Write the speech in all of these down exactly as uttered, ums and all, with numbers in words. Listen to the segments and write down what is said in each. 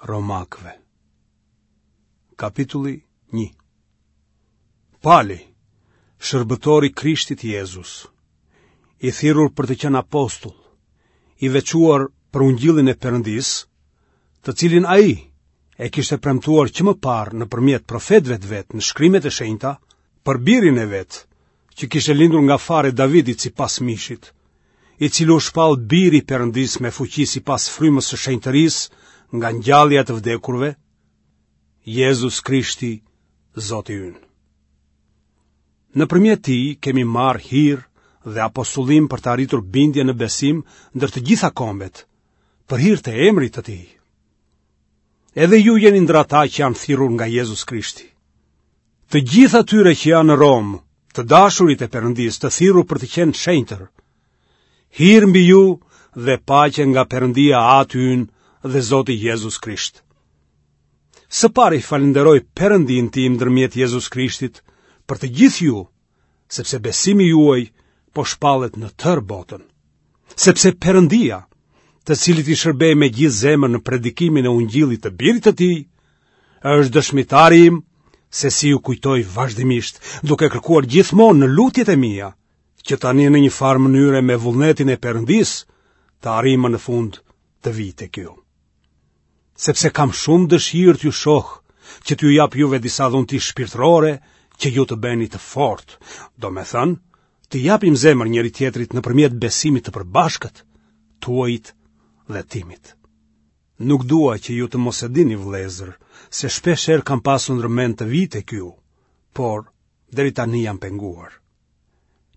Romakëve. Kapitulli një. Pali, shërbëtor i Krishtit Jezus, i thirrur për të qenë apostull, i veçuar për ungjillin e Perëndisë, të cilin ai e kishte premtuar që më parë nëpërmjet profetëve të vet në shkrimet e shenjta, për birin e vet, që kishte lindur nga fara e Davidit sipas mishit, i cili u shpall biri i Perëndisë me fuqi sipas frymës së shenjtërisë nga ngjallja e të vdekurve, Jezus Krishti, Zoti ynë. Nëpërmjet tij kemi marrë hir dhe apostullim për të arritur bindje në besim ndër të gjitha kombet, për hir të emrit të tij. Edhe ju jeni ndër ata që janë thirrur nga Jezus Krishti. Të gjithë atyre që janë në Romë, të dashurit e Perëndisë, të thirrur për të qenë shenjtër, hir mbi ju dhe paqe nga Perëndia Ati ynë dhe Zoti Jezus Krisht. Së pari falënderoj Perëndinë tim ndërmjet Jezus Krishtit për të gjithë ju, sepse besimi juaj po shpallet në tërë botën. Sepse Perëndia, të cilit i shërbej me gjithë zemër në predikimin e ungjillit të birit të tij, është dëshmitari im se si ju kujtoj vazhdimisht, duke kërkuar gjithmonë në lutjet e mia, që tani në një farë mënyre me vullnetin e Perëndisë të arrij më në fund të vij tek ju. Sepse kam shumë dëshirë t'ju shoh, që t'ju jap juve disa dhunti shpirtërore që ju të bëheni të fortë, domethënë, t'i japim zemër njëri-tjetrit nëpërmjet besimit të përbashkët, tuajit dhe timit. Nuk dua që ju të mos e dini, vëllezër, se shpesh herë kam pasur ndër mend të vij tek ju, por deri tani jam penguar.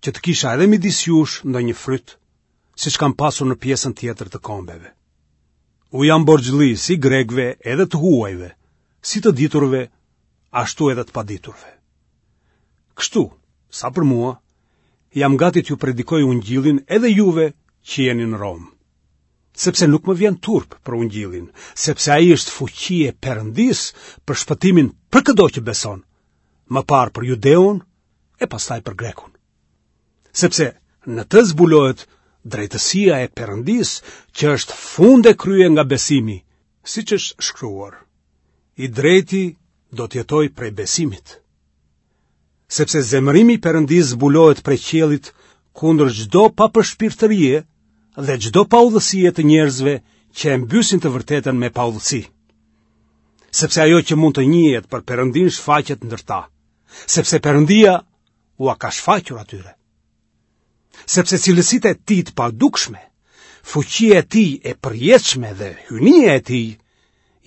Që të kisha edhe midis jush ndonjë fryt, siç kam pasur në pjesën tjetër të kombeve. U jam borxhli si grekëve edhe të huajve, si të diturve, ashtu edhe të paditurve. Kështu, sa për mua, jam gati t'ju predikoj ungjillin edhe juve që jeni në Romë. Sepse nuk më vjen turp për ungjillin, sepse ai është fuqi e Perëndisë për shpëtimin për këdo që beson, më parë për judeun e pastaj për grekun. Sepse në të zbulohet drejtësia e Perëndisë që është fund e krye nga besimi, siç është shkruar. I drejti do të jetojë prej besimit. Sepse zemërimi i Perëndisë zbulohet prej qiellit kundër çdo papërshpirtërie dhe çdo paudhësie të njerëzve që e mbysin të vërtetën me paudhësi. Sepse ajo që mund të njihet për Perëndinë shfaqet ndër ta, sepse Perëndia ua ka shfaqur atyre. Sepse cilësitë e tij të padukshme, fuqia e tij e përjetshme dhe hyjnia e tij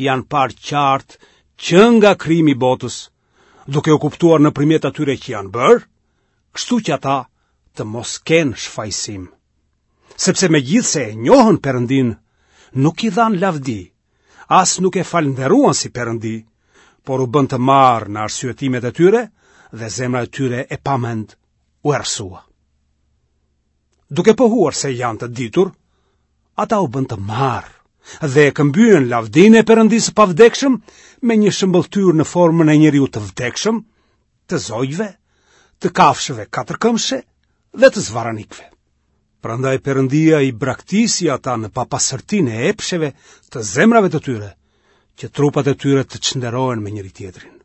janë parë qartë që nga krijimi i botës, duke u kuptuar nëpërmjet atyre që janë bërë, kështu që ata të mos kenë shfajësim. Sepse megjithëse e njohën Perëndinë, nuk i dhanë lavdi, as nuk e falënderuan si Perëndi, por u bënë të marrë në arsyetimet e tyre dhe zemra e tyre e pamend u errësua. Duke pohuar se janë të ditur, ata u bënë të marrë dhe e këmbyen lavdinë e Perëndisë së pavdekshëm me një shëmbëlltyrë në formën e njeriut të vdekshëm, të zogjve, të kafshëve katërkëmbëshe dhe të zvarranikëve. Prandaj Perëndia i braktisi ata në papastërtinë e epsheve të zemrave të tyre, që trupat e tyre të çnderohen me njëri-tjetrin.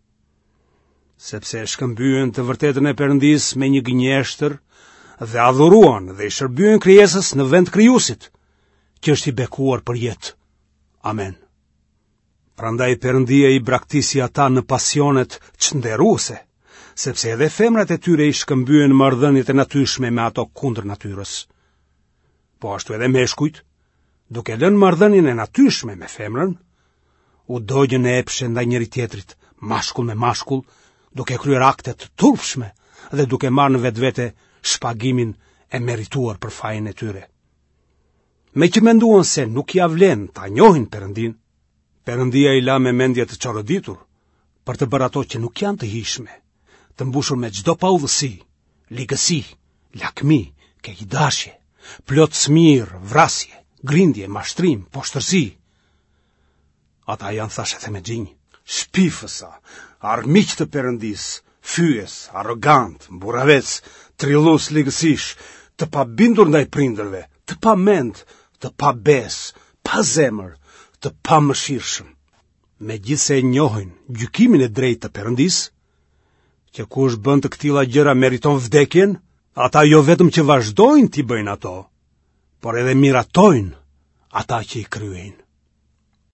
Sepse e shkëmbyen të vërtetën e Perëndisë me një gënjeshtër dhe adhuruan dhe i shërbyen krijesës në vend krijuesit, që është i bekuar për jetë. Amen. Prandaj Perëndia i braktisi ata në pasionet çnderuese, sepse edhe femrat e tyre i shkëmbyen marrëdhëniet e natyrshme me ato kundër natyrës. Po ashtu edhe meshkujt, duke lënë marrëdhënien e natyrshme me femrën, u dogjën në epshe ndaj njëri-tjetrit, mashkull me mashkull, duke kryer akte të turpshme dhe duke marrë në vetvete shpagimin e merituar për fajin e tyre. Meqë menduan se nuk ia vlen ta njohin Perëndinë, Perëndia i la me mendje të çoroditur për të bërë ato që nuk janë të hijshme, të mbushur me çdo paudhësi, ligësi, lakmi, keqdashje, plot smirë, vrasje, grindje, mashtrim, poshtërsi. Ata janë thashethemexhinj, shpifësa, armiq të Perëndisë, fyes, arrogantë, mburravecë, trillues ligësish, të pabindur ndaj prindërve, të pamend, të pabesë, pa zemër, të pamëshirshëm. megjithëse e njohin gjykimin e drejtë të Perëndisë, që kush bën të këtilla gjëra meriton vdekjen, ata jo vetëm që vazhdojnë t'i bëjnë ato, por edhe miratojnë ata që i kryejnë.